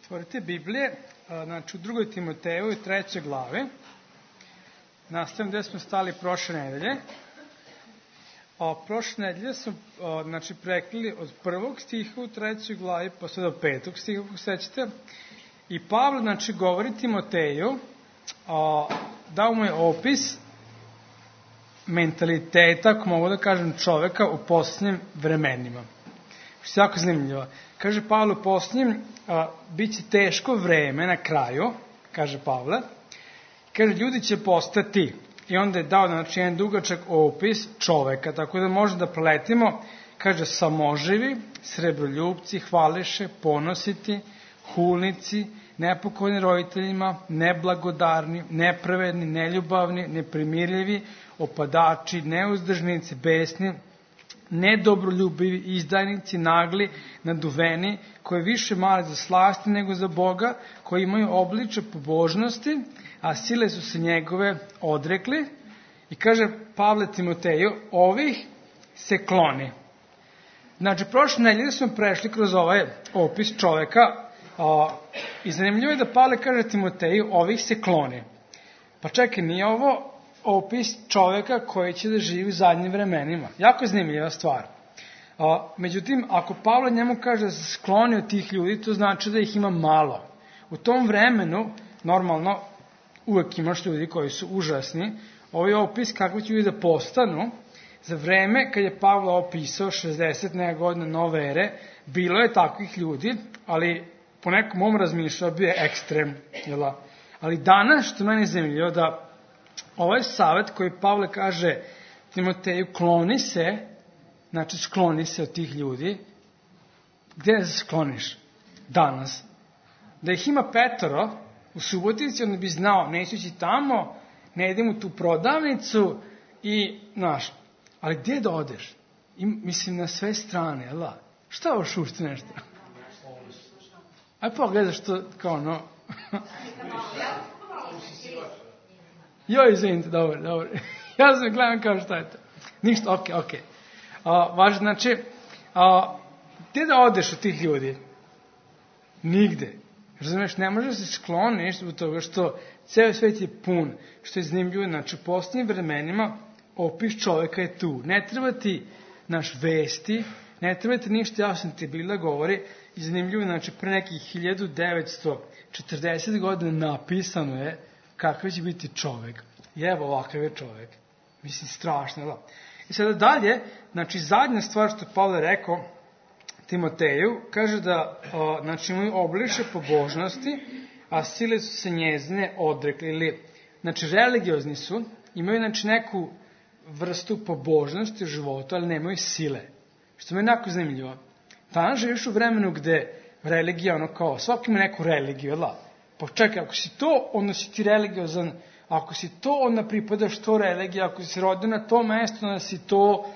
Otvorite Biblije, znači u 2. Timoteju 3. glave. Nastavim gde smo stali prošle nedelje. Prošle nedelje smo prekrili od 1. stiha u 3. glavi pa sve do 5. stiha, kako sećate. I Pavle, govori Timoteju, dao mu je opis mentaliteta, ako mogu da kažem, čoveka u posljednjim vremenima. Što je jako zanimljivo. Kaže Pavle, u posljednjim bit će teško vreme na kraju, kaže Pavle. Kaže, ljudi će postati, i onda je dao jedan dugačak opis čoveka, tako da možemo da proletimo. Kaže, samoživi, srebroljubci, hvališe, ponositi, hulnici, nepokojni roditeljima, neblagodarni, nepravedni, neljubavni, neprimirljivi, opadači, neuzdržnici, besni, nedobroljubivi, izdajnici, nagli, naduveni, koji više male za slasti nego za Boga, koji imaju obliče pobožnosti, a sile su se njegove odrekli. I kaže Pavle Timoteju, ovih se kloni. Znači, prošle nedelje smo prešli kroz ovaj opis čoveka i zanimljivo je da Pavle kaže Timoteju, ovih se kloni. Pa čekaj, nije ovo opis čoveka koji će da živi u zadnjim vremenima. Jako zanimljiva stvar. Međutim, ako Pavle njemu kaže da se skloni od tih ljudi, to znači da ih ima malo. U tom vremenu, normalno, uvek imaš ljudi koji su užasni. Ovo je opis kako će ljudi da postanu. Za vreme kad je Pavle opisao 60 neka godina nove ere, bilo je takvih ljudi, ali po nekom mom razmišljaju bio je ekstrem. Ali danas, što meni je zanimljivo, da ovaj savjet koji Pavle kaže Timoteju, kloni se, znači skloni se od tih ljudi. Gde se skloniš danas? Da ih ima 5 u Subotici, onda bi znao, neću ići tamo, ne idem u tu prodavnicu i, znaš, ali gdje da odeš? Mislim, na sve strane, jel da? Šta ovo šušti nešto? Aj pogledaš to, kao no... Joj, izvinite, dobro. Ja sam gledam kao šta je to. Ništa, okej. Važno, znači, gdje da odeš od tih ljudi? Nigde. Razumeš, ne možeš se skloniš zbog toga što ceo svet je pun, što je zanimljivo. Znači, u posljednjim vremenima opis čoveka je tu. Ne treba ti naš vesti, ne treba ti ništa, ja sam ti bila govori, i zanimljivo, znači, pre nekih 1940 godina napisano je kakav će biti čovek. I evo ovakav je čovek. Mislim, strašno, da. I sada dalje, znači, zadnja stvar što Pavle rekao Timoteju, kaže da, znači, imaju obliče pobožnosti, a sile su se njezine odrekli. Ili, znači, religiozni su, imaju, znači, neku vrstu pobožnosti u životu, ali nemaju sile. Što mi je jako zanimljivo. Danas živiš u vremenu gde religija, kao, svaki ima neku religiju, da. Pa čekaj, ako si to, onda si ti religiozan. Ako si to, onda pripadaš to religija. Ako si rodio na to mesto, onda si to...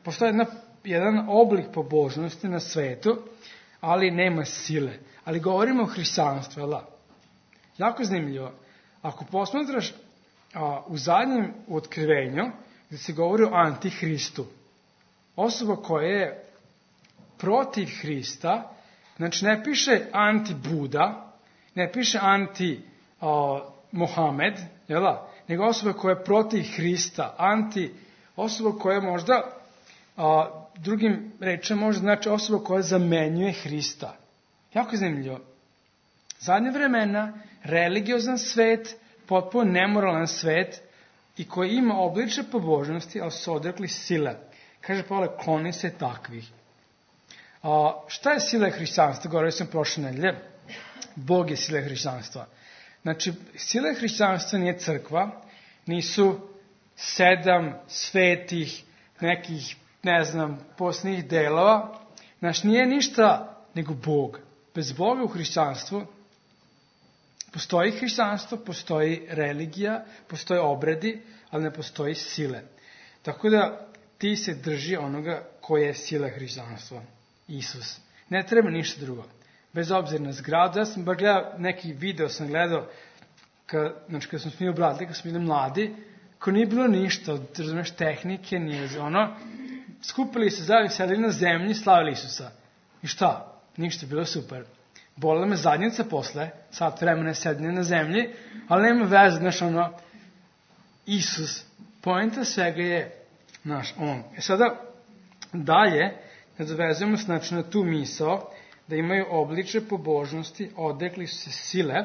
Postoji jedan oblik pobožnosti na svetu, ali nema sile. Ali govorimo o hrišćanstvu, jel da? Jako zanimljivo. Ako posmatraš u zadnjem otkrivenju, gde se govori o antihristu, osoba koja je protiv Hrista, znači ne piše anti-Buda, ne piše anti-Mohamed, jel da? Nego osoba koja je protiv Hrista, osoba koja je možda, drugim rečima možda znači osoba koja zamenjuje Hrista. Jako zanimljivo. Zadnje vremena, religiozan svet, potpuno nemoralan svet i koji ima obliče pobožnosti, ali su odrekli sile. Kaže Pavle, kloni se takvih. Šta je sila hrišćanstva? Govorio sam prošle nedelje. Bog je sila hrišćanstva. Znači, sila hrišćanstva nije crkva, nisu 7 svetih, nekih, posljednjih delova. Znači, nije ništa nego Bog. Bez Boga u hrišćanstvu postoji hrišćanstvo, postoji religija, postoje obredi, ali ne postoji sile. Tako da ti se drži onoga koja je sila hrišćanstva. Isus. Ne treba ništa drugo. Bez obzira na zgradu. Ja sam bar gledao, neki video sam gledao, kad smo bili obradili, kad smo bili mladi, ko nije bilo ništa, razumeš, tehnike, nije skupili se zajedno, sedeli na zemlji, slavili Isusa. I šta? Ništa, bilo super. bolela me zadnjica posle, sat vremena sedne na zemlji, ali nema veze, znaš, Isus, poenta svega je, on. Sada, dalje, nadovezujemo znači na tu misao, da imaju obliče pobožnosti, odrekli su se sile.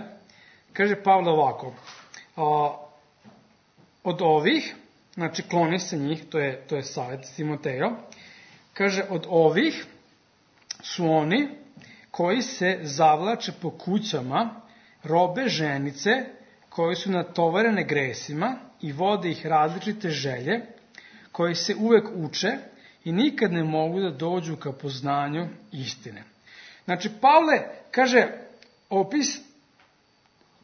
Kaže Pavle ovako, od ovih, znači kloni se njih, to je savjet Timotejo, kaže od ovih su oni koji se zavlače po kućama, robe ženice, koji su natovarene gresima i vode ih različite želje, koji se uvek uče i nikad ne mogu da dođu ka poznanju istine. Znači, Pavle kaže, opis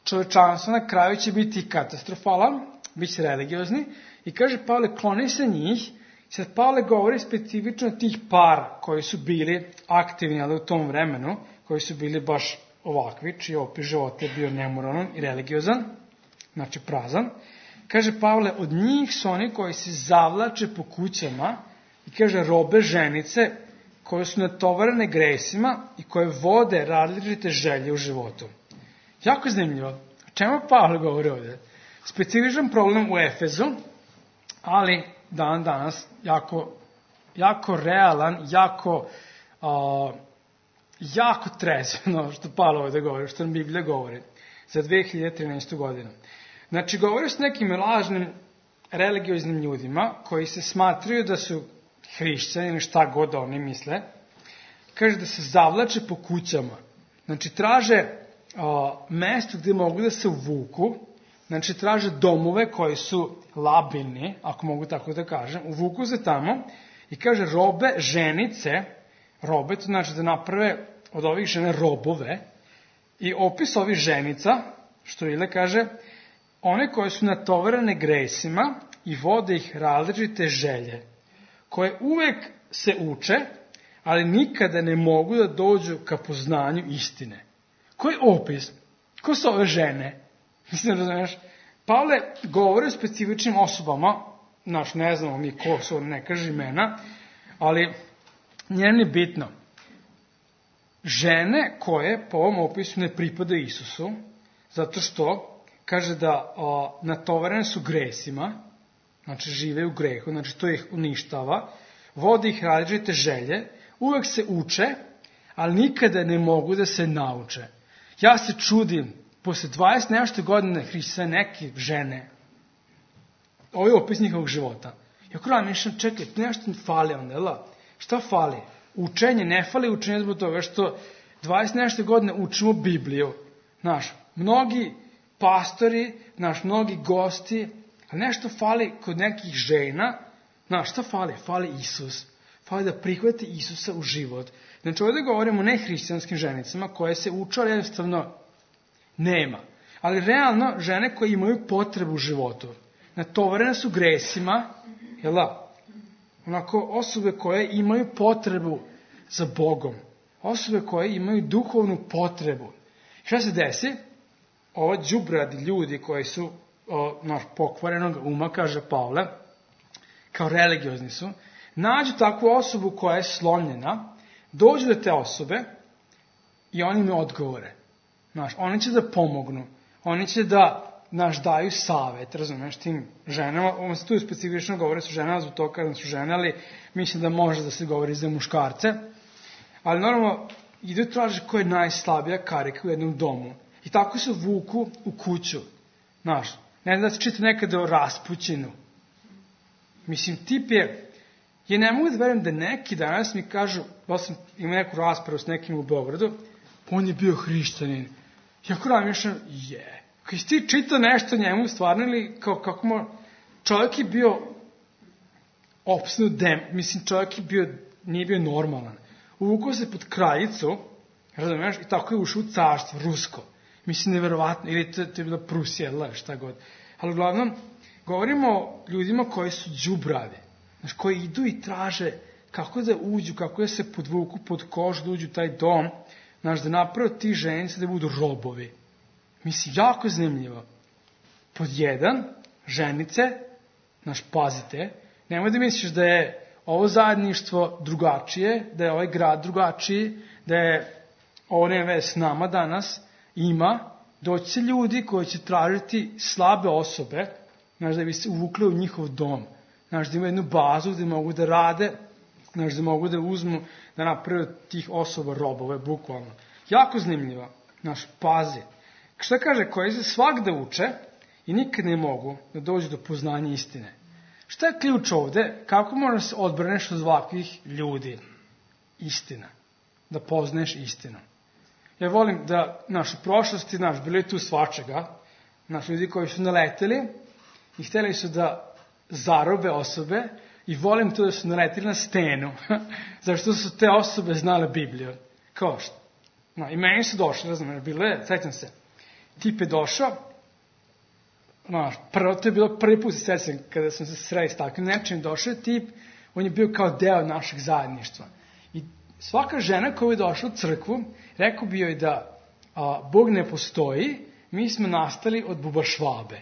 čovečanstva na kraju će biti katastrofalan, bit će religiozni, i kaže Pavle, kloni se njih. Sad Pavle govori specifično tih para koji su bili aktivni, ali u tom vremenu, koji su bili baš ovakvi, čiji opis života je bio nemoralan i religiozan, znači prazan. Kaže Pavle, od njih su oni koji se zavlače po kućama i kaže robe ženice koje su natovarene gresima i koje vode različite želje u životu. Jako zanimljivo. O čemu Pavle govori ovdje? Specifičan problem u Efezu, ali danas jako realan, jako trezveno što Pavle ovdje govori, što nam Biblija govori za 2013. godinu. Znači, govori s nekim lažnim religioznim ljudima koji se smatraju da su hrišćani ili šta god oni misle. Kaže da se zavlače po kućama. Znači, traže mesto gdje mogu da se uvuku. Znači, traže domove koji su labilni, ako mogu tako da kažem. Uvuku se tamo i kaže robe ženice. Robe, to znači da naprave od ovih žene robove. I opis ovih ženica, što Ile kaže, one koje su natovarene gresima i vode ih različite želje, koje uvek se uče, ali nikada ne mogu da dođu ka poznanju istine. Koji opis? Ko su ove žene? Mislim, razumiješ? Pavle govori o specifičnim osobama, ne znamo mi ko su, ne kaže imena, ali njeni bitno. Žene koje po ovom opisu ne pripadaju Isusu, zato što kaže da natovarene su gresima, znači žive u grehu, znači to ih uništava, vodi ih različite želje, uvek se uče, ali nikada ne mogu da se nauče. Ja se čudim, posle 20 nešto godine hrišćane neke žene, ovo je opis njihovog života. Ja kada mišljam, čekaj, nešto fali onda, jel? Šta fali? Učenje, ne fali učenje zbog toga što 20 nešto godine učimo Bibliju. Mnogi pastori, mnogi gosti, ali nešto fali kod nekih žena. Šta fali? Fali Isus. Fali da prihvati Isusa u život. Znači ovdje govorimo o nehrišćanskim ženicama koje se uče, ali jednostavno nema. Ali realno žene koje imaju potrebu u životu. Natovarene su gresima, jel da? Onako osobe koje imaju potrebu za Bogom. Osobe koje imaju duhovnu potrebu. Šta se desi? Ovo đubradi ljudi koji su pokvarenog uma, kaže Pavle, kao religiozni su, nađu takvu osobu koja je slomljena, dođu do te osobe i oni im odgovore. Oni će da pomognu. Oni će da daju savet, razumeš, tim ženama. Ovo se tu specifično govori su ženama, zbog toga kada su žene, ali mislim da može da se govori za muškarce. Ali normalno, idu i traže ko je najslabija karika u jednom domu. I tako se vuku u kuću. Ne znam da se čita nekada o Raspućinu. Mislim, tip je... Ja ne mogu da verujem da neki danas mi kažu, imam neku raspravu s nekim u Beogradu, on je bio hrišćanin. Ja kada mišljam, Kad si ti čitao nešto njemu stvarno ili čovjek je bio opsnut mislim čovjek nije bio normalan. Uvukao se pod kraljicu, razumiješ, i tako je ušao u carstvo, rusko. Mislim, neverovatno, ili to je bila Prusija, šta god. Ali uglavnom, govorimo o ljudima koji su đubravi, koji idu i traže kako da uđu, kako da se podvuku pod kožu, da uđu u taj dom, da naprave ti ženice da budu robovi. Mislim, jako zanimljivo. Pod jedan, ženice, pazite, nemoj da misliš da je ovo zajedništvo drugačije, da je ovaj grad drugačiji, da je ovo nema veze s nama danas, doći će ljudi koji će tražiti slabe osobe, da bi se uvukli u njihov dom, da imaju jednu bazu gde mogu da rade, da mogu da uzmu, da naprave tih osoba robove, bukvalno. Jako zanimljivo. Pazi. Šta kaže? Koji se svakda uče i nikad ne mogu da dođu do poznanja istine. Šta je ključ ovde? Kako možeš se odbraneš od ovakvih ljudi? Istina. Da poznaješ istinu. Ja volim da u prošlosti, bilo je tu svačega, ljudi koji su naleteli i hteli su da zarobe osobe i volim to da su naleteli na stenu, zašto su te osobe znale Bibliju. Kao što? I meni su došli, bilo je, sećam se, tip je došao, to je bilo prvi put se sećam kada sam se sreo s takvim nečim, došao je tip, on je bio kao deo našeg zajedništva. I svaka žena koja je došla u crkvu, rekao bi joj da Bog ne postoji, mi smo nastali od buba Švabe.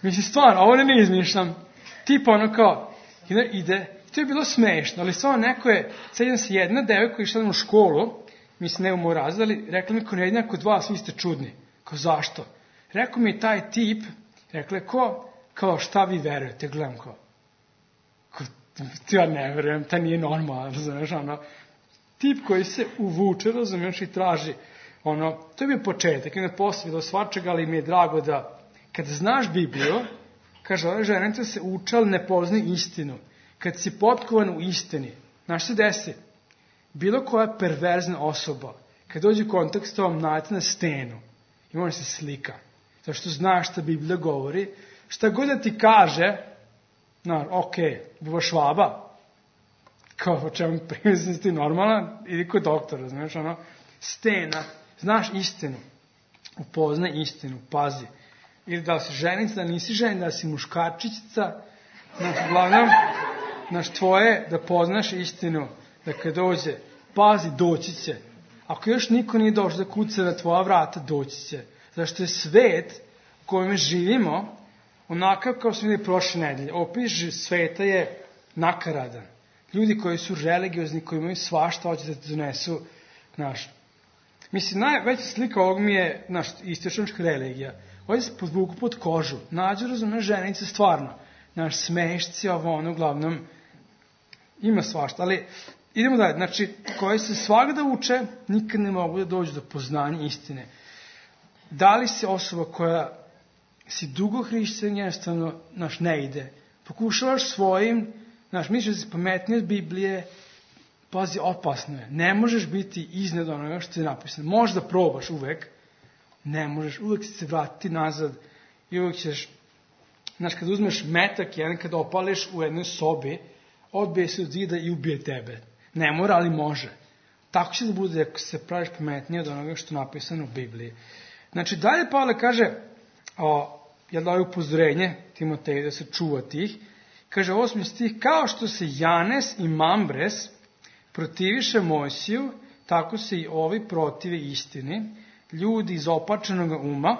Mislim, stvarno, ovo ne izmišljam. Tip kao, ide, to je bilo smešno, ali stvarno neko je, sećam se jedna devojka koja je išla u školu, mislim, ne u moj razred, ali rekla mi, kod jednako od vas, vi ste čudni. Kao, zašto? Rekao mi taj tip, rekla je, kao, šta vi verujete? Gledam, ja ne verujem, ta nije normalno, razumeš, tip koji se uvuče, razumeš, i traži, to je bio početak, i ne posvijedao svačega, ali mi je drago da, kad znaš Bibliju, kaže, ove ženice se uče, ali ne poznaju istinu. Kad si potkovan u istini, znaš se desi, bilo koja perverzna osoba, kad dođe u kontakt s tobom, nađe na stenu i može se slika. Zato što znaš šta Biblija govori, šta god da ti kaže, ok, buba Švaba, kao o čemu primjer ti normalna, idi kod doktora, znaš, stena, znaš istinu, upoznaj istinu, pazi. Ili da li si ženica, da nisi ženica, da si muškarčica, uglavnom, tvoje da poznaš istinu, da kad dođe, pazi, doći će. Ako još niko nije došao da kuca na tvoja vrata, doći će. Zašto je svet u kojem živimo onakav kao smo vidjeli prošle nedelje. Opis sveta je nakaradan. Ljudi koji su religiozni, koji imaju svašta, hoće da te donesu, mislim, najveća slika ovog mi je istočnička religija. Ovdje se podvuku pod kožu. Nađu, razumne, ženice, stvarno. Smešci, uglavnom, ima svašta, ali idemo dalje. Koji se svakda uče, nikad ne mogu da dođu do poznanja istine. Da li se osoba koja si dugo hrišćan, jednostavno, ne ide. Pokušavaš svojim, misliš da si pametniji od Biblije, pazi, opasno je. Ne možeš biti iznad onoga što je napisano. Možda probaš uvek, ne možeš, uvek se vratiti nazad i uvek ćeš, kad uzmeš metak jedan, kad opališ u jednoj sobi, odbije se od zida i ubije tebe. Ne mora, ali može. Tako će da bude ako se praviš pametnije od onoga što je napisano u Bibliji. Dalje Pavle kaže, jel da je upozorenje Timoteju da se čuva tih, kaže 8. stih, kao što se Janes i Mambres protiviše Mojsiju, tako se i ovi protive istini, ljudi iz opačenog uma,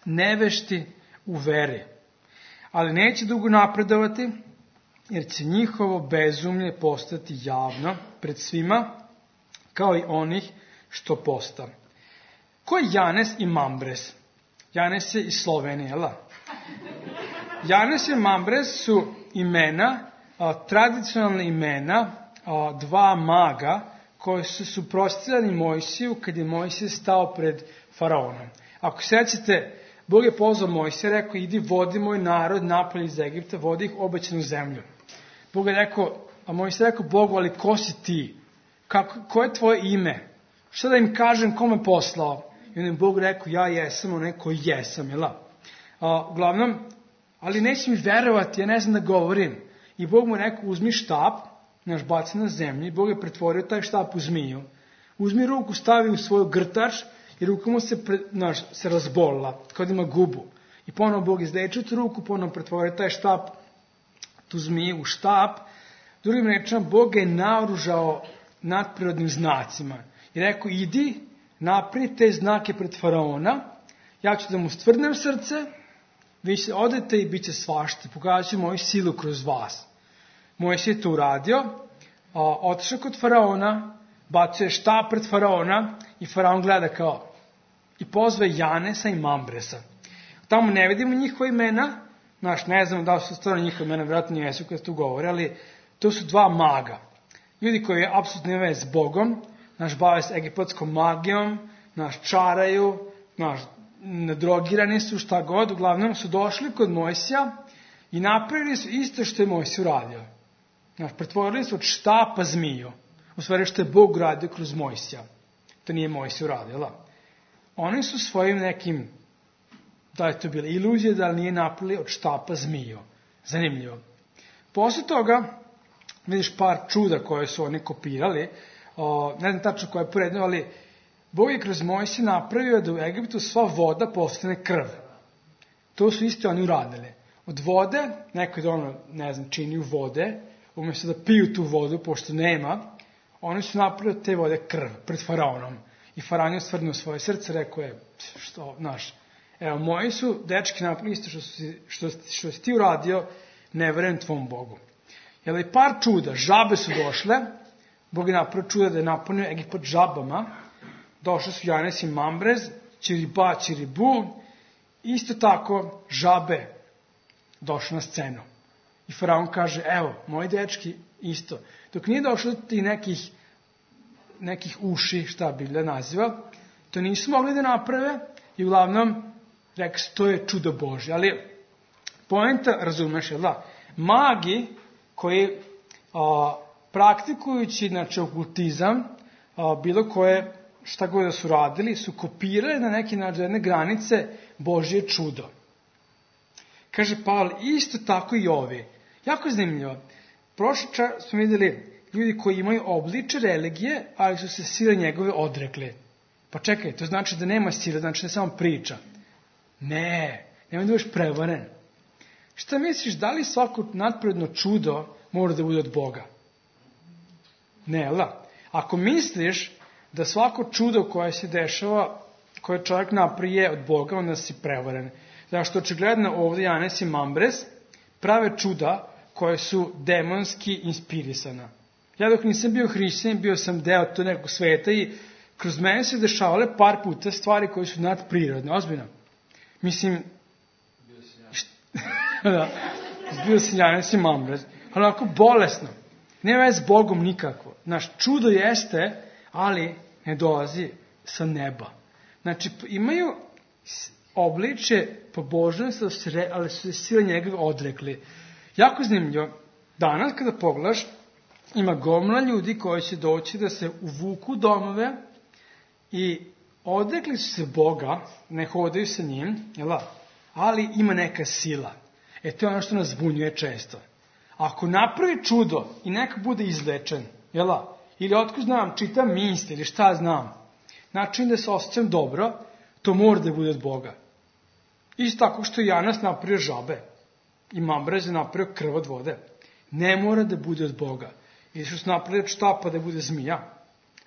nevešti u veri. Ali neće dugo napredovati, jer će njihovo bezumlje postati javno pred svima, kao i onih što posta. Ko je Janes i Mambres? Janes je iz Slovenije, jel? Janes i Mambres su imena, tradicionalna imena, dva maga koji su suprotstavljali Mojsiju kad je Mojsije stao pred faraonom. Ako sećate, Bog je pozvao Mojsija, rekao, idi vodi moj narod napolje iz Egipta, vodi ih u obećanu zemlju. Bog je rekao, a Mojsija rekao Bogu, ali ko si ti? Ko je tvoje ime? Šta da im kažem, ko me poslao? I on je Bog rekao, ja jesam onaj koji jesam, jel? Uglavnom, ali neće mi verovati, ja ne znam da govorim. I Bog mu rekao, uzmi štap, baci na zemlji, Bog je pretvorio taj štap u zmiju. Uzmi ruku, stavi u svoju grtač i ruka mu se razbolila, kao da ima gubu. I ponovo Bog izlečio tu ruku, ponovo pretvorio taj štap, tu zmiju u štap. Drugim rečima, Bog je naoružao nadprirodnim znacima. I rekao, idi, napravi te znake pred faraona, ja ću da mu stvrdnem srce, vi se odete i bit će svašta, pokazat ću moju silu kroz vas. Mojsije je to uradio, otišao kod faraona, bacuje štap pred faraona i faraon gleda kao i pozve Janesa i Mambresa. Tamo ne vidimo njihova imena, ne znam da li su stvarno njihova imena, vjerojatno jesu kad tu govore, ali to su dva maga. Ljudi koji je apsolutno nema s Bogom, bave se egipatskom magijom, čaraju, nadrogirani su, šta god, uglavnom su došli kod Mojsija i napravili su isto što je Mojsij uradio. Pretvorili su od štapa zmiju, u stvari što je Bog uradio kroz Mojsija. To nije Mojsij uradio, Oni su svojim nekim, da je to bila iluzija, da li nije napravili od štapa zmiju. Zanimljivo. Posle toga, vidiš par čuda koje su oni kopirali, ne znam tačno koje je poredno, ali Bog je kroz Mojsija napravio da u Egiptu sva voda postane krv. To su isto oni uradili. Od vode, neko je činio vode, umjesto da piju tu vodu, pošto nema, oni su napravili od te vode krv pred faraonom. I faraon je stvrnuo svoje srce, rekao je, evo, moji su dečki napravili isto što si ti uradio, ne verujem tvom Bogu. Jel i par čuda, žabe su došle, Bog je napravio čuda da je napunio Egipat žabama, došli su Janes i Mambrez, Čiriba, Čiribu, isto tako žabe došle na scenu. I faraon kaže, evo, moji dečki isto. Dok nije došlo do tih nekih uši, šta Biblija naziva, to nisu mogli da naprave i uglavnom rekao se, to je čudo Božje. Ali poenta, razumeš, magi koji praktikujući okultizam, bilo koje, šta god da su radili, su kopirali na neki način jedne granice Božje čudo. Kaže Pavle, isto tako i ovi. Jako zanimljivo. Prošli čas smo vidjeli ljudi koji imaju obliče religije, ali su se sile njegove odrekli. Pa čekaj, to znači da nema sile, znači da samo priča. Ne, nemoj da budeš prevaren. Šta misliš, da li svako nadprirodno čudo mora da bude od Boga? Ne, Ako misliš da svako čudo koje se dešava, koje čovjek naprije od Boga, onda si prevaren. Zato što očigledno ovdje Janes i Mambrez prave čuda koje su demonski inspirisana. Ja dok nisam bio hrišćanin, bio sam deo to nekog sveta i kroz mene se dešavale par puta stvari koje su nadprirodne, ozbiljno. Mislim, bio sam Janes i Mambrez, ali onako bolesno. Nema veze s Bogom nikako. Čudo jeste, ali ne dolazi sa neba. Imaju obliče pobožnosti, ali su se sile njegove odrekli. Jako zanimljivo. Danas kada pogledaš, ima gomila ljudi koji će doći da se uvuku domove i odrekli su se Boga, ne hodaju sa njim, ali ima neka sila. To je ono što nas zbunjuje često. Ako napravi čudo i neko bude izlečen, ili otko znam, čitam misli ili šta znam, način da se osjećam dobro, to mora da bude od Boga. Isto tako što je Janas napravio žabe i Mambrez je napravio krv od vode. Ne mora da bude od Boga. Ili što su napravili od štapa da bude zmija.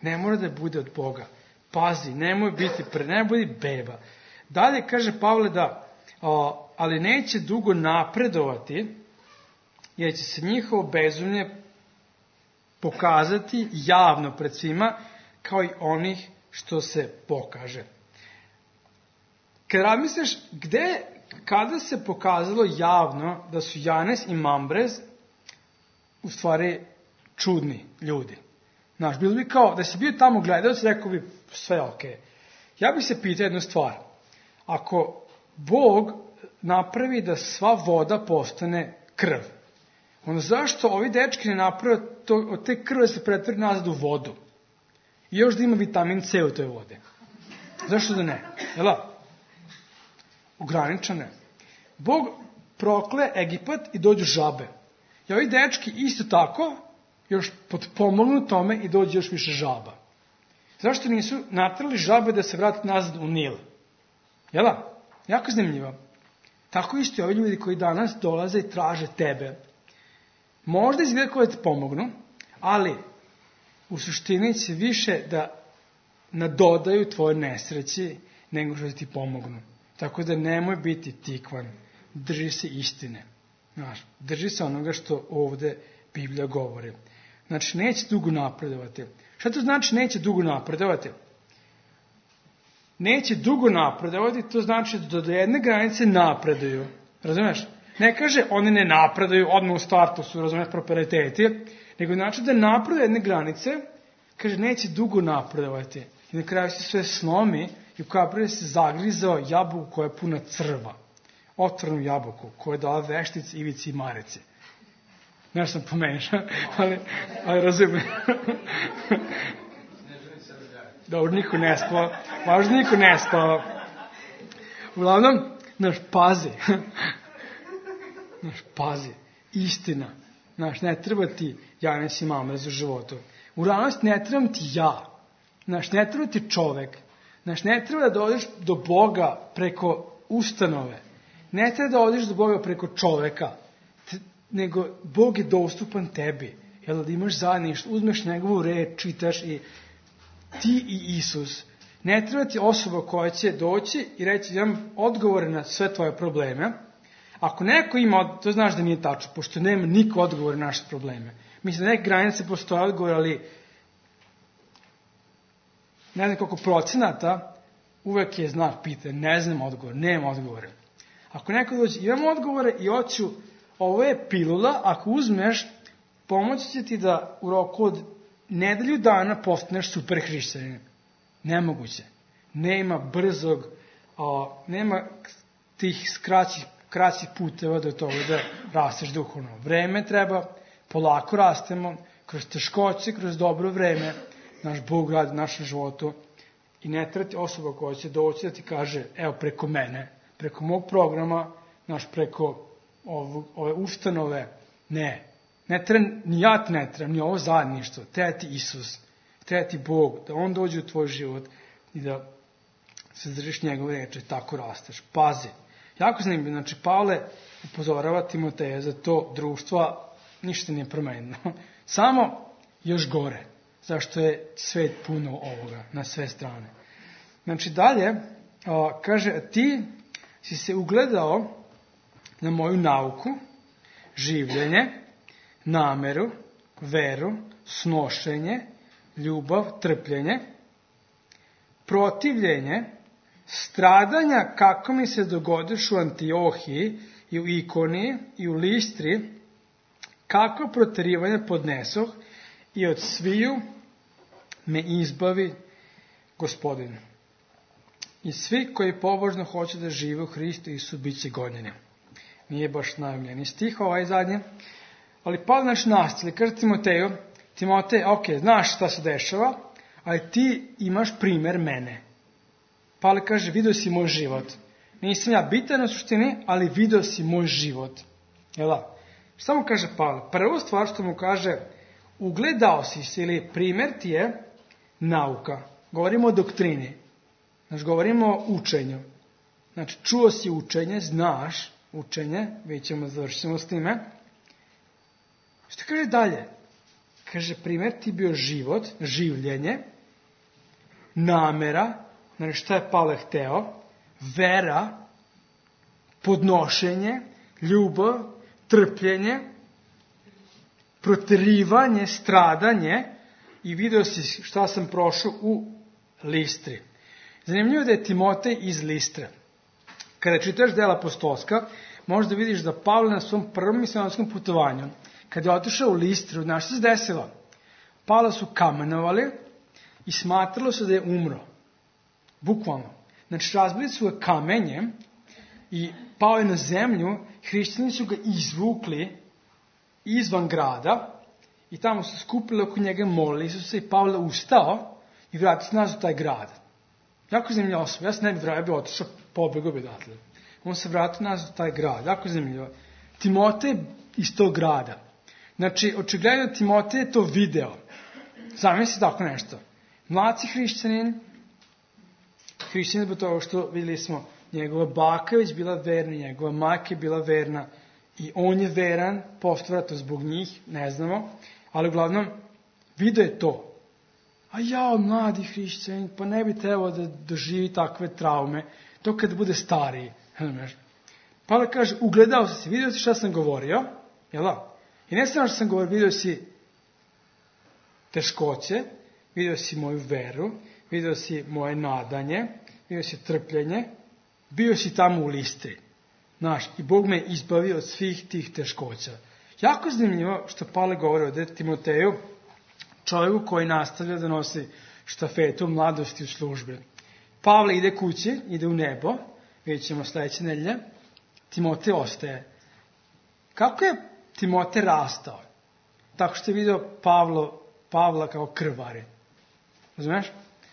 Ne mora da bude od Boga. Pazi, nemoj biti beba. Dalje kaže Pavle da, ali neće dugo napredovati, jer će se njihovo bezumlje pokazati javno pred svima, kao i onih što se pokaže. Kad razmisliš, kada se pokazalo javno da su Janes i Mambrez u stvari čudni ljudi? Bilo bi kao, da si bio tamo gledalac, rekao bi sve okej. Ja bih se pitao jednu stvar. Ako Bog napravi da sva voda postane krv, onda zašto ovi dečki ne naprave od te krve se pretvori nazad u vodu? I još da ima vitamin C u toj vode. Zašto da ne? Ograničene. Bog prokle Egipat i dođu žabe. I ovi dečki isto tako još potpomognu tome i dođe još više žaba. Zašto nisu natrali žabe da se vrati nazad u Nil? Jako zanimljivo. Tako isto i ovi ljudi koji danas dolaze i traže tebe. Možda izgleda koje te pomognu, ali u suštini će više da nadodaju tvoje nesreći nego što ti pomognu. Tako da nemoj biti tikvan. Drži se istine. Drži se onoga što ovde Biblija govori. Neće dugo napredovati. Šta to znači neće dugo napredovati? Neće dugo napredovati, to znači da do jedne granice napreduju. Razumeš? Ne kaže oni ne napreduju, odmah u startu su, razumeš, prosperiteti, nego znači da napreduju jedne granice, kaže neće dugo napredovati. I na kraju se sve slomi i u kaprije se zagrizao jabuku koja je puna crva. Otvornu jabuku koja je dala veštici, ivici i marici. Nešto sam pomešao, ali razumijem. Dobro, niko ne spava. Važno, niko ne spava. Uglavnom, pazi. Istina. Ne treba ti Janes i Mamres u životu. U realnosti ne trebam ti ja. Ne treba ti čovek. Ne treba da dođeš do Boga preko ustanove. Ne treba da odeš do Boga preko čoveka. Nego Bog je dostupan tebi. Jel da imaš zajedništvo, uzmeš njegovu reč, čitaš i ti i Isus. Ne treba ti osoba koja će doći i reći imam odgovore na sve tvoje probleme. Ako neko ima, to znaš da nije tačno, pošto nema niko odgovore na naše probleme. Mislim da neke granice postoje odgovor, ali ne znam koliko procenata, uvek je znak pitanja, ne znam odgovor, nema odgovore. Ako neko dođe, imam odgovore i hoću, ovo je pilula, ako uzmeš, pomoći će ti da u roku od nedelju dana postaneš super hrišćanin. Nemoguće. Nema brzog, nema tih kraćih puteva do toga da rasteš duhovno. Vreme treba, polako rastemo, kroz teškoće, kroz dobro vreme, naš Bog radi u našem životu i ne treba ti osoba koja će doći da ti kaže, evo preko mene, preko mog programa, preko ove ustanove, ne treba, ni ja ti ne treba, ni ovo zajedništvo, treba ti Isus, treba ti Bog, da On dođe u tvoj život i da se držiš njegove reči, tako rasteš. Pazi. Jako zanimljivo, znači Pavle upozorava Timoteja za to društva, ništa nije promenjeno. Samo još gore, zašto je svet puno ovoga, na sve strane. Znači dalje, kaže, ti si se ugledao na moju nauku, življenje, nameru, veru, snošenje, ljubav, trpljenje, protivljenje, stradanja kako mi se dogodiš u Antiohiji i u Ikoniji i u Listri, kako proterivanje podnesoh i od sviju me izbavi Gospodin. I svi koji pobožno hoće da žive u Hristu Isu bit će gonjeni. Nije baš najomljeni stih ovaj zadnje, ali Pavle nastavlja, kaže Timoteju, Timotej, znaš šta se dešava, ali ti imaš primer mene. Pavle kaže, vidio si moj život. Nisam ja bitan na suštini, ali vidio si moj život. Šta mu kaže Pavle? Prvo stvar što mu kaže, ugledao si se ili primer ti je nauka. Govorimo o doktrini. Govorimo o učenju. Znači, čuo si učenje, znaš učenje, završimo s time. Što kaže dalje? Kaže, primer ti bio život, življenje, namera, znači šta je Pavle hteo, vera, podnošenje, ljubav, trpljenje, proterivanje, stradanje i vidio si šta sam prošao u Listri. Zanimljivo da je Timotej iz Listre. Kada čitaš dela apostolska, možda vidiš da Pavle na svom prvom misionarskom putovanju, kada je otišao u Listru, znaš što se desilo? Pavla su kamenovali i smatralo se da je umro. Bukvalno. Znači, razbili su ga kamenjem i pao je na zemlju, hrišćani su ga izvukli izvan grada i tamo su skupili oko njega, molili su se i Pavle ustao i vratio se nazad u taj grad. Jako zanimljiva osoba. Ja se ne bi otišao, pobegao bi odatle. On se vratio nazad u taj grad. Jako zanimljivo. Timotej iz tog grada. Znači, očigledno Timotej je to video. Zamisli tako nešto. Mlaci hrišćanin zbog toga što vidjeli smo njegova baka već bila verna, njegova majka je bila verna i on je veran, postvratno zbog njih, ne znamo, ali uglavnom video je to. A mladi hrišćanin, pa ne bi trebao da doživi takve traume, to kad bude stariji. Pavle kaže, ugledao si se, vidio si šta sam govorio, jel da? I ne samo što sam govorio, vidio si teškoće, video si moju veru, video si moje nadanje, video si trpljenje, bio si tamo u Listri. Znaš, i Bog me izbavio od svih tih teškoća. Jako zanimljivo što Pavle govori ovde Timoteju, čovjeku koji nastavlja da nosi štafetu mladosti u službi. Pavle ide kući, ide u nebo, vidjet ćemo sledeće nedelje, Timotej ostaje. Kako je Timotej rastao? Tako što je video Pavla kao krvari. Razumeš?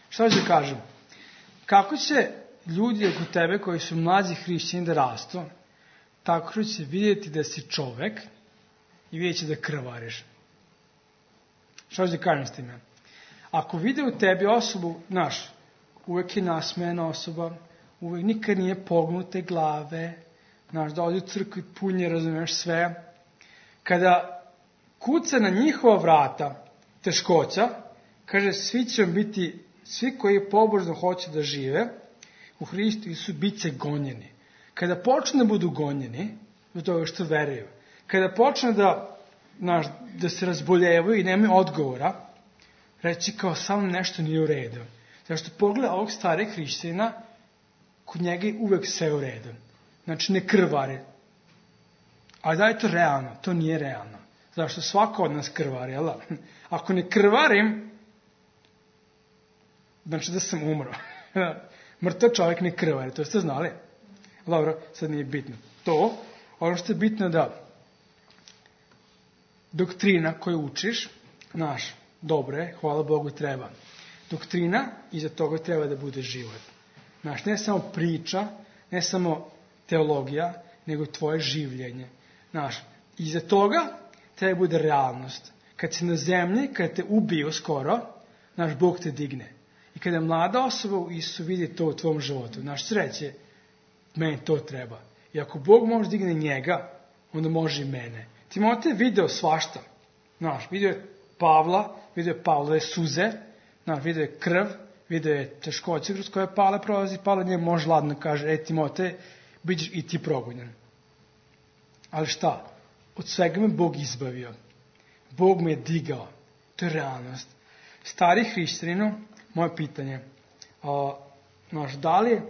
Šta ću da kažem? Kako će ljudi oko tebe koji su mlađi hrišćani da rastu, tako će vidjeti da si čovek i vidjet će da krvariš. Šta ću da kažem s time? Ako vide u tebi osobu, znaš, uvek je nasmejana osoba, uvek nikad nije pognute glave, znaš, da odi u crkvu i punje, razumeš sve. Kada kuca na njihova vrata teškoća, kaže, svi će vam biti, svi koji pobožno hoće da žive, u Hristu Isu bit će gonjeni. Kada počne da budu gonjeni, do toga što veruju, kada počne da se razboljevaju i nemaju odgovora, reći kao samo nešto nije u redu. Zato što pogleda ovog starih hrišćanina, kod njega je uvek sve u redu. Znači ne krvari. Ali da je to realno? To nije realno. Zato što svako od nas krvari, jel da? Ako ne krvarim, znači da sam umro. Mrtav čovjek ne krvari, to ste znali? Dobro, sad nije bitno. To, ono što je bitno da doktrina koju učiš, znaš, dobro je, hvala Bogu, treba. Doktrina, iza toga treba da bude život. Znaš, ne samo priča, ne samo teologija, nego tvoje življenje. Znaš, iza toga treba da bude realnost. Kad si na zemlji, kad te ubiju skoro, znaš, Bog te digne. I kada mlada osoba u Isu vidi to u tvom životu, znaš, sreće, meni to treba. I ako Bog može digne njega, onda može i mene. Timotej je video svašta. Znaš, video je Pavla, video je Pavlove suze, znaš, video je krv, video je teškoće kroz koje Pavle prolazi, Pavle njemu može ladno kaže, Timotej, bit ćeš i ti progonjen. Ali šta? Od svega me Bog izbavio. Bog me je digao. To je realnost. Stari hrišćaninu, moje pitanje, znaš, da li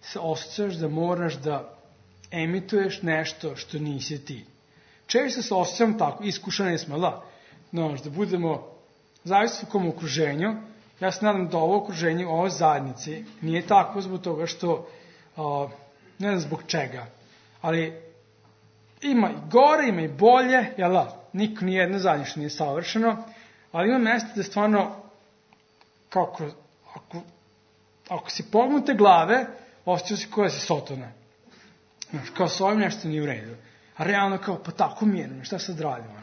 se osjećaš da moraš da emituješ nešto što nisi ti? Često se osjećam tako, iskušani smo, da? Znaš, da budemo zavisno u kom okruženju. Ja se nadam da ovo okruženje, ovo zajednici, nije tako zbog toga što, ne znam zbog čega, ali ima i gore, ima i bolje, jel da? Niko nijedno zajedništvo nije savršeno, ali ima mesta da stvarno, ako si pognute glave, osjećao si koja si sotona. Znaš, kao s ovim nešto nije u redu. A realno kao, pa tako mirno, šta sad radimo?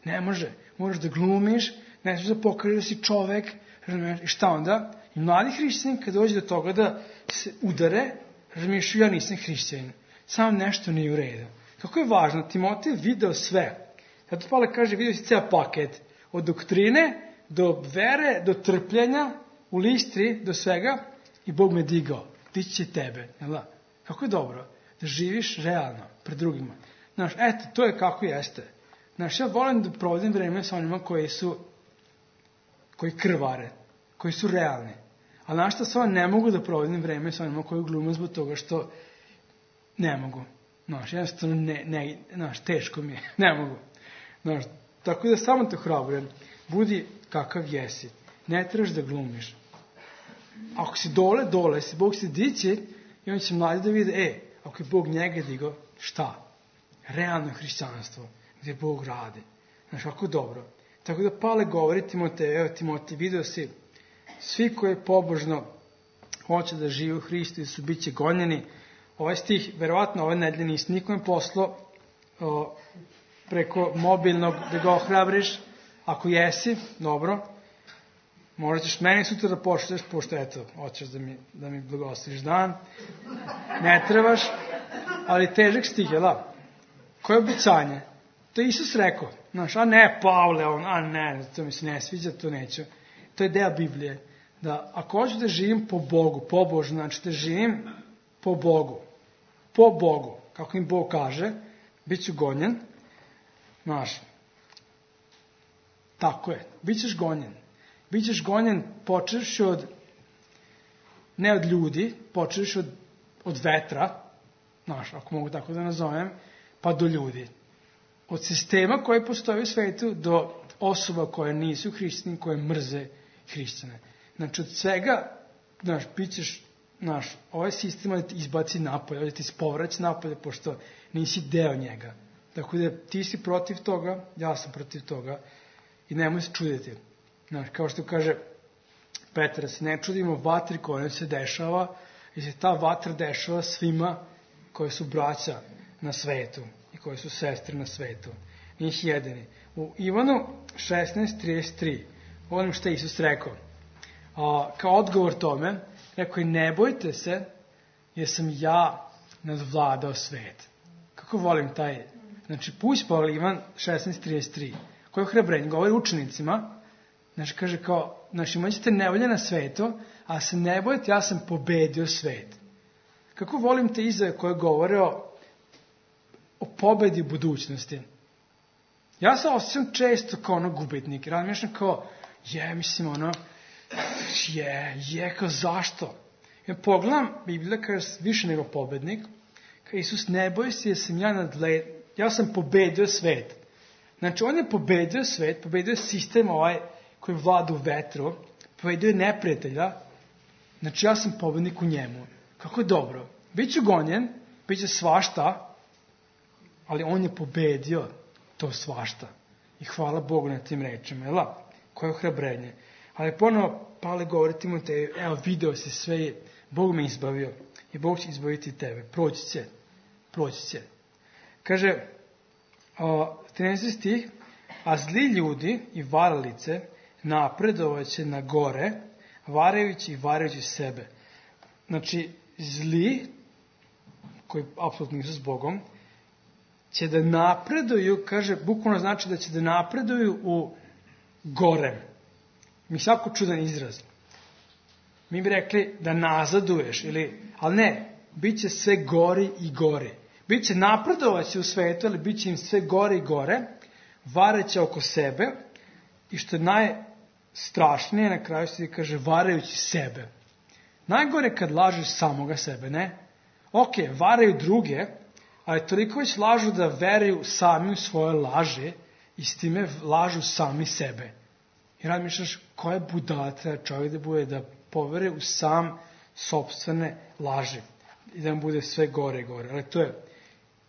Ne može, moraš da glumiš, ne možeš da pokažeš da si čovek, razumiješ, i šta onda? I mladi hrišćani, kad dođe do toga da se udare, razumiješ, ja nisam hrišćanin, samo nešto nije u redu. Kako je važno, Timotej je video sve. Zato Pavle kaže, vidio si ceo paket, od doktrine, do vere, do trpljenja, u Listri, do svega, i Bog me digao, dići će tebe, jel da? Kako je dobro, da živiš realno, pred drugima. Znaš, eto, to je kako jeste. Znaš, ja volim da provodim vreme sa onima koji krvare, koji su realni. Ali znaš šta, samo ne mogu da provodim vreme sa onima koji glume zbog toga što ne mogu. Znaš, jednostavno znaš, teško mi je, ne mogu. Znaš, tako da samo te hrabrujem, budi kakav jesi, ne trebaš da glumiš. Ako si dole, si Bog se dići, i on će mladi da vide, ako je Bog njega digao, šta? Realno hrišćanstvo, gdje Bog radi. Znaš, kako dobro. Tako da Pavle govori Timotej, video si, svi koji pobožno hoće da žive u Hristu i su bit će gonjeni. Ovaj stih, verovatno ove nedelje nisi nikome poslao preko mobilnog da ga ohrabriš. Ako jesi, dobro, možda ćeš meni sutra da pošleš, pošto eto, hoćeš da mi blagosloviš dan. Ne trebaš, ali težak stih, jel da? Koje obećanje? To je Isus rekao. Znaš, a ne, Pavle, to mi se ne sviđa, to neću. To je deo Biblije. Da ako hoću da živim po Bogu, pobožno, znači da živim po Bogu, kako im Bog kaže, bit ću gonjen, znaš, tako je, bit ćeš gonjen. Bićeš gonjen počeš ne od ljudi, počeš od vetra, ako mogu tako da nazovem, pa do ljudi. Od sistema koji postoji u svetu do osoba koje nisu hrišćani, koje mrze hrišćane. Znači, od svega, bit ćeš, ovaj sistem da ti izbaci napolje, da ti ispovraći napolje, pošto nisi deo njega. Tako da ti si protiv toga, ja sam protiv toga i nemoj se čuditi. Kao što kaže Petar, se ne čudimo vatri koja se dešava, jer se ta vatra dešava svima koji su braća na svetu i koji su sestre na svetu. Njih jedini. U Ivanu 16:33, onim što je Isus rekao, kao odgovor tome, rekao je, ne bojte se, jer sam ja nadvladao svet. Kako volim taj, znači, puść pa Ivan 16:33, koji ohrabrenje govori učenicima, znači, kaže kao, znači, imat ćete nevolje na svetu, a se ne bojte, ja sam pobedio svet. Kako volim te izjave koje govore o pobedi u budućnosti. Ja se osjećam često kao gubitnik. Razmišljam kao, kao zašto? Ja pogledam, Biblija kaže više nego pobednik, kao Isus, ne boj se, jer sam ja sam pobedio svet. Znači, on je pobedio svet, pobedio je sistem koji vlada u vetru, pobedio je neprijatelja, znači ja sam pobednik u njemu. Kako je dobro. Biću gonjen, biće svašta, ali on je pobedio to svašta. I hvala Bogu na tim rečima, koje ohrabrenje. Ali ponovo Pavle govori Timoteju, evo video si sve, Bog me izbavio i Bog će izbaviti tebe. Proći će. Kaže, 13. stih, a zli ljudi i varalice napredovaće na gore, varajući i varajući sebe. Znači, zli, koji apsolutno nisu s Bogom, će da napreduju, kaže, bukvalno znači da će da napreduju u gore. Mi svako čudan izraz. Mi bi rekli da nazaduješ, ali ne, bit će sve gori i gori. Biće napredovaće u svetu, ali bit će im sve gore i gore, vareće oko sebe i što je najstrašnije, na kraju se kaže varajući sebe. Najgore kad lažeš samoga sebe, ne? Ok, varaju druge, ali toliko već lažu da veruju sami u svoje laže i s time lažu sami sebe. I razmišljaš koja budala treba čovjek da bude da povere u sam sopstvene laži i da mu bude sve gore i gore. Ali to je,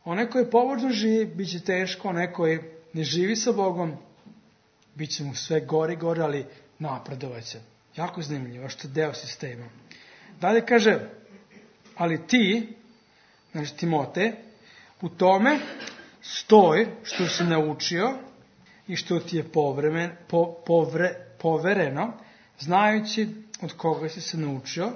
onaj koji pobožno živi, bit će teško, onaj koji ne živi sa Bogom, bit će mu sve gore i gore, ali napredovaće. Jako zanimljivo, što je deo sistema. Dalje kaže, ali ti, znači Timote, u tome stoj što si naučio i što ti je povereno, znajući od koga si se naučio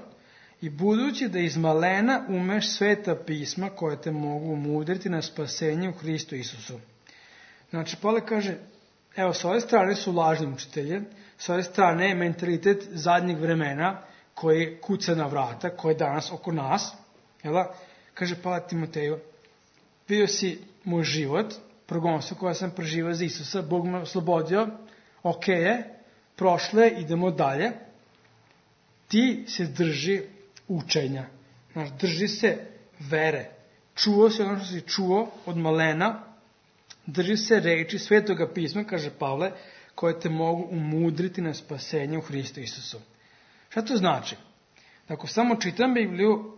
i budući da iz malena umeš sveta pisma koje te mogu umudriti na spasenje u Hristu Isusu. Znači, Pavle kaže, evo, s ove strane su lažni učitelji, s ove strane je mentalitet zadnjeg vremena koji kuca na vrata, koji je danas oko nas. Kaže Pavle Timoteju, vidio si moj život, progonstvo koje sam preživao za Isusa, Bog me oslobodio, ok je, prošlo je, idemo dalje. Ti se drži učenja, znači drži se vere. Čuo se ono što si čuo od malena, drži se reči Svetoga pisma, kaže Pavle, koje te mogu umudriti na spasenje u Hristu Isusu. Šta to znači? Ako samo čitam Bibliju,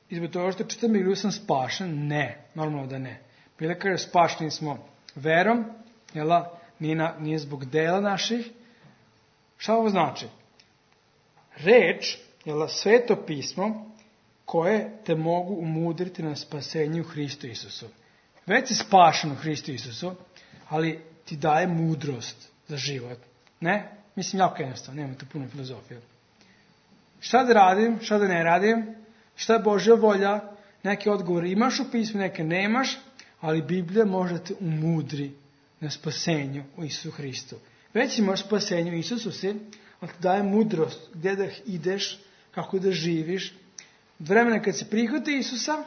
i zbog toga što čitam Bibliju sam spašen? Ne, normalno da ne. Bile kaže spašeni smo verom, nije zbog dela naših. Šta ovo znači? Reč, Sveto pismo, koje te mogu umudriti na spasenje u Hristu Isusu. Već si spašen u Hristu Isusu, ali ti daje mudrost za život. Ne? Mislim, jako jednostavno, nema tu puno filozofije. Šta da radim, šta da ne radim, šta je Božja volja, neke odgovore imaš u pismu, neke nemaš, ali Biblija može te umudri na spasenju u Isusu Hristu. Već imaš spasenju u Isusu si, ali ti daje mudrost gdje da ideš, kako da živiš. Vremena kad se prihvati Isusa,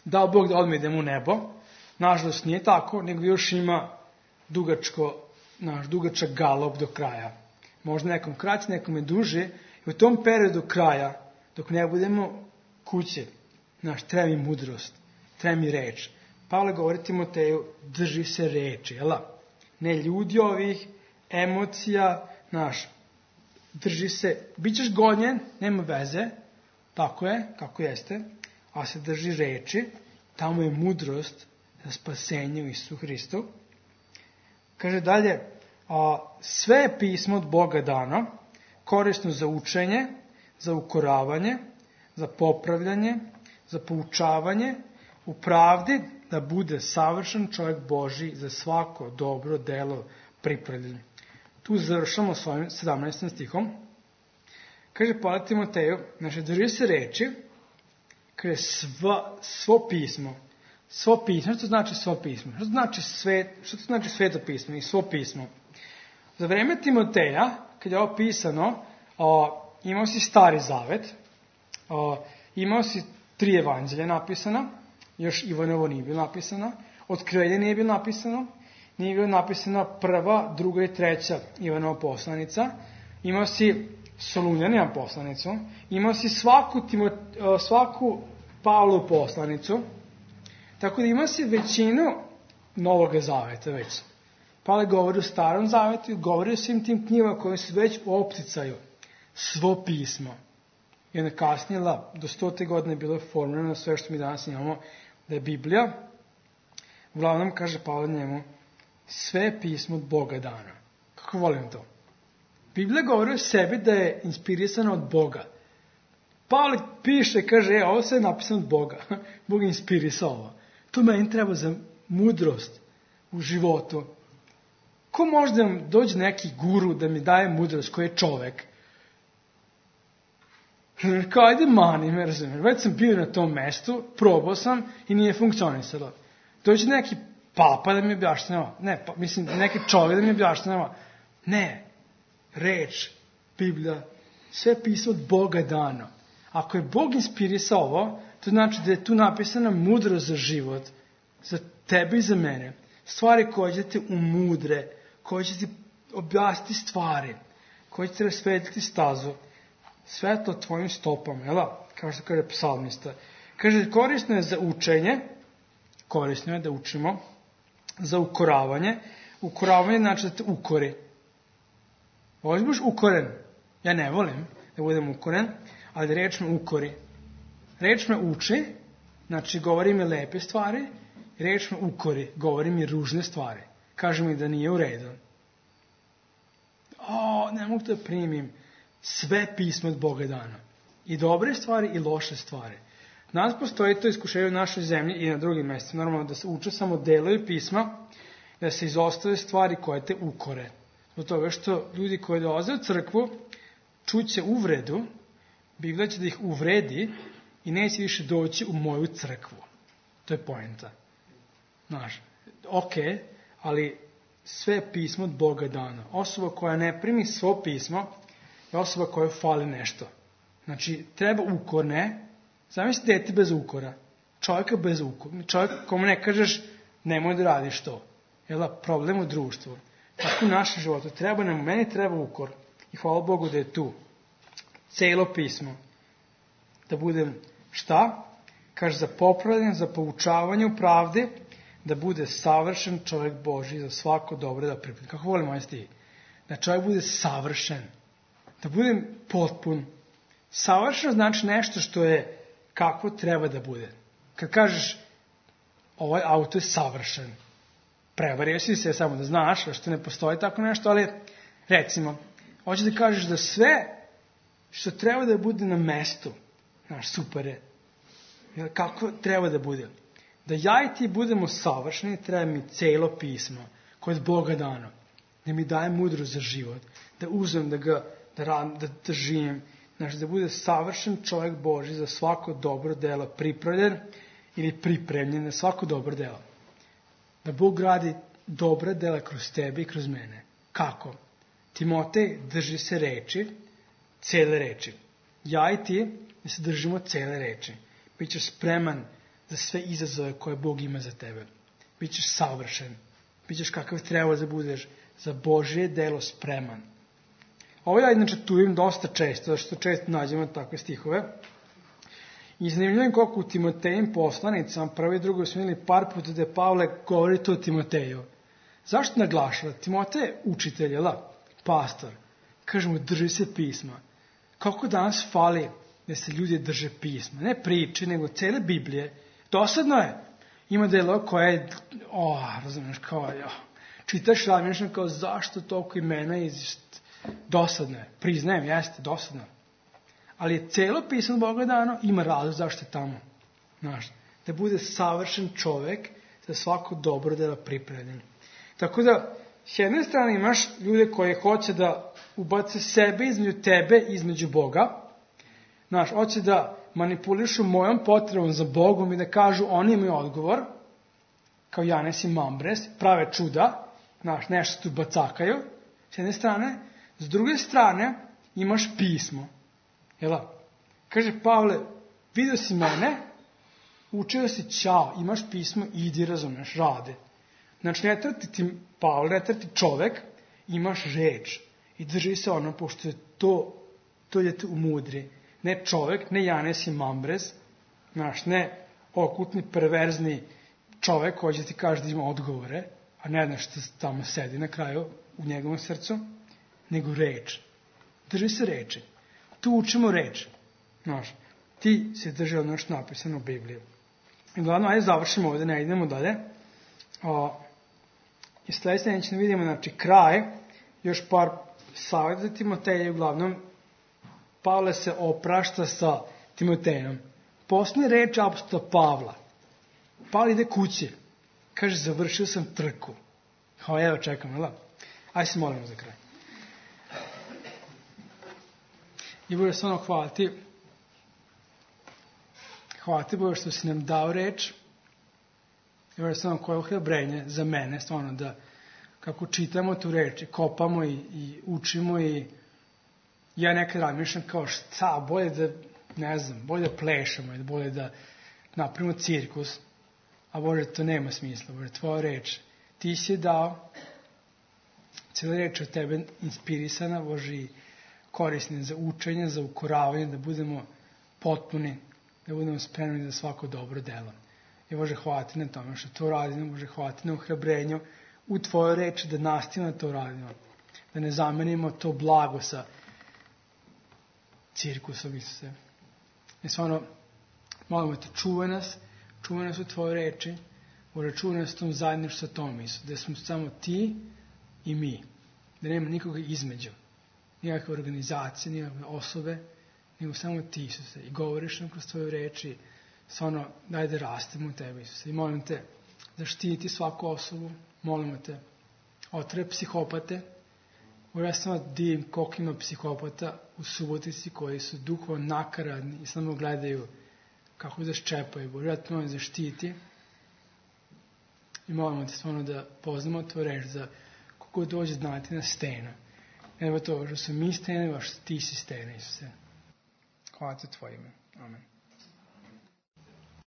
dao Bog da odmah idemo u nebo. Nažalost nije tako, nego još ima dugačak galop do kraja. možda nekom kraće, nekom je duže, i u tom periodu kraja, dok ne budemo kuće, treba mi mudrost, treba mi reč. Pavle govori Timoteju, drži se reči, ne ljudi ovih, emocija, drži se, bit ćeš gonjen, nema veze, tako je, kako jeste, a se drži reči, tamo je mudrost za spasenje u Isusu Hristu. Kaže dalje, sve je pismo od Boga dano, korisno za učenje, za ukoravanje, za popravljanje, za poučavanje, u pravdi da bude savršen čovjek Božji za svako dobro delo pripravljen. Tu završamo s ovim 17. stihom. Kaže Pavle Timoteju, drži se reči, kaže svo pismo. Svo pismo, što znači svo pismo? Što to znači sveto pismo i svo pismo? Za vreme Timoteja, kad je ovo pisano, imao si Stari Zavet, imao si 3 evanđelja napisana, još Ivanovo nije bilo napisano, Otkrivenje nije bilo napisano, nije bilo napisana 1., 2. i 3. Ivanova poslanica, imao si Solunjanina poslanicu, imao si svaku Pavlovu poslanicu, tako da imao si većinu Novog Zaveta već. Pavle govori o Starom Zavetu, govori o svim tim knjigama koje su već u opticaju. Svo pismo. I onda kasnije, do 100. godine je bilo formirano sve što mi danas imamo, da je Biblija. Uglavnom, kaže Pavle njemu, sve pismo od Boga dano. Kako volim to? Biblija govori o sebi da je inspirisana od Boga. Pavle piše, kaže, ovo sve je napisano od Boga. Bog je inspirisao ovo. To meni treba za mudrost u životu. Ko može da vam dođe neki guru da mi daje mudrost koji je čovek? Kao, ajde mani me, razumiješ. Već sam bio na tom mestu, probao sam i nije funkcionisalo. Dođe neki papa da mi objašnjava. Neki čovjek da mi objašnjava. Ne, reč, Biblija, sve pismo od Boga dano. Ako je Bog inspirisao ovo, to znači da je tu napisana mudrost za život, za tebe i za mene. Stvari koje će te umudre, koje će ti objasniti stvari, koje će te rasvetiti stazu. Sve to tvojim stopama, kao što kaže psalmista. Kaže, korisno je za učenje, korisno je da učimo, za ukoravanje. Ukoravanje znači da te ukori. Voliš da budeš ukoren? Ja ne volim da budem ukoren, ali reč me ukori. Reč me uči, znači govori mi lepe stvari, reč me ukori, govori mi ružne stvari. Kaže mi da nije u redu. Ne mogu da primim. Sve pismo od Boga dano. I dobre stvari i loše stvari. Danas postoji to iskušenje u našoj zemlji i na drugim mjestima. Normalno da se uče samo delovi pisma, da se izostave stvari koje te ukore. Zbog toga što ljudi koji dolaze u crkvu čuće uvredu, Biblija će da ih uvredi i neće više doći u moju crkvu. To je poenta. Ali sve pismo od Boga dano. Osoba koja ne primi svo pismo je osoba koja fali nešto. Znači, treba ukorne. Zamisli dete bez ukora. Čovjeka bez ukora. Čovjek komu ne kažeš nemoj da radiš to. Problem u društvu. Tako u našem životu. Meni treba ukor. I hvala Bogu da je tu. Celo pismo. Da budem šta? Kaže za popravljanje, za poučavanje u pravdi, da bude savršen čovjek Božji za svako dobro da pripremi. Kako volim ovaj stih? Da čovjek bude savršen. Da budem potpun. Savršeno znači nešto što je kako treba da bude. Kad kažeš ovaj auto je savršen, prevario si se samo da znaš, što ne postoji tako nešto, ali recimo, hoćeš da kažeš da sve što treba da bude na mestu, super je. Kako treba da bude? Da ja i ti budemo savršeni, treba mi celo pismo koje je od Boga dano. Da mi daje mudrost za život. Da uzmem, da živim. Da bude savršen čovjek Božji za svako dobro delo pripravljen ili pripremljen na svako dobro delo. Da Bog radi dobra dela kroz tebe i kroz mene. Kako? Timotej, drži se reči, cele reči. Ja i ti da se držimo cele reči. Bićeš spreman za sve izazove koje Bog ima za tebe. Bićeš savršen. Bićeš kakav treba da budeš za Božje delo spreman. Ovo ja inače tuvim dosta često, zato što često nađemo takve stihove. I zanimljivo koliko u Timotejim poslanicama, prvi i drugi smo imali par puta da je Pavle govori to o Timoteju. Zašto naglašava? Timotej je učitelj, jel da? Pastor. Kaže mu, drži se pisma. Kako danas fali da se ljudi drže pisma? Ne priče, nego cele Biblije. Dosadno je. Ima delo koje je, razumiješ, kao, čitaš razmišljam kao, zašto toliko imena dosadno je. Priznajem, jeste, dosadno. Ali je celo pismo Boga dano, ima razlog zašto je tamo. Znaš, da bude savršen čovek za svako dobro delo pripremljen. Tako da, s jedne strane imaš ljude koje hoće da ubace sebe između tebe i između Boga. Znaš, hoće da manipulišu mojom potrebom za Bogom i da kažu oni imaju odgovor, kao Janes i Mambres, prave čuda, znaš, nešto tu bacakaju, s jedne strane. S druge strane, imaš pismo. Jel' kaže Pavle, vidio si mene, učio si ćao, imaš pismo, idi, razumeš, rade. Znači, ne trati ti Pavle, ne trati čovek, imaš reč. I drži se ono, pošto je to je te umudri. Ne čovek, ne Janes i Mambres, znaš, ne okultni, perverzni čovek koji će ti kaže da ima odgovore, a ne znaš što tamo sedi na kraju u njegovom srcu, nego reč. Drži se reči. Tu učimo reč. Znaš, ti se drži ono što je napisano u Bibliji. I glavno, ajde završimo ovdje, ne idemo dalje. I sljedeće vidimo, znači, kraj, još par savjeta za Timoteja, uglavnom, Pavle se oprašta sa Timotejom. Posljednja reč apostola Pavla. Pavle ide kući. Kaže, završio sam trku. Evo, čekam, jel? Ajde se molimo za kraj. I Bože, stvarno hvala ti. Hvala ti, Bože, što si nam dao reč. I Bože, stvarno koje ohrabrenje za mene, stvarno da kako čitamo tu reč i kopamo i učimo i ja nekad razmišljam kao šta, bolje da, ne znam, bolje da plešamo, bolje da napravimo cirkus, a Bože, to nema smisla, Bože, tvoja reč, ti si dao, cijela reč od tebe inspirisana, Bože, i korisni za učenje, za ukoravanje, da budemo potpuni, da budemo spremni za svako dobro delo. I Bože, hvala ti na tome što to radimo, Bože, hvala ti na ohrabrenju u tvojoj reči, da nastavimo to radimo, da ne zamenimo to blago sa cirkusom, Isuse. I stvarno, molimo te, čuvaj nas u tvojoj reči, Bože, čuvaj nas u tom zajedništvu sa tom, Isuse, da smo samo ti i mi, da nema nikoga između, nikakve organizacije, nikakve osobe, nego samo ti, Isuse, i govoriš nam kroz tvoje reči, stvarno, daj da rastemo u tebe, Isuse, i molim te, zaštiti svaku osobu, molimo te, otrep psihopate, ja samo divim koliko ima psihopata u Subotici koji su duhovno nakaradni i samo gledaju kako da ščepaju. Bože, ja te molim zaštiti i molimo te stvarno da poznamo tvoju reč za kogo dođe znati na stena. Evo to, što su mi stene, baš ti si stene, Isuse. Hvala te tvoje ime. Amen.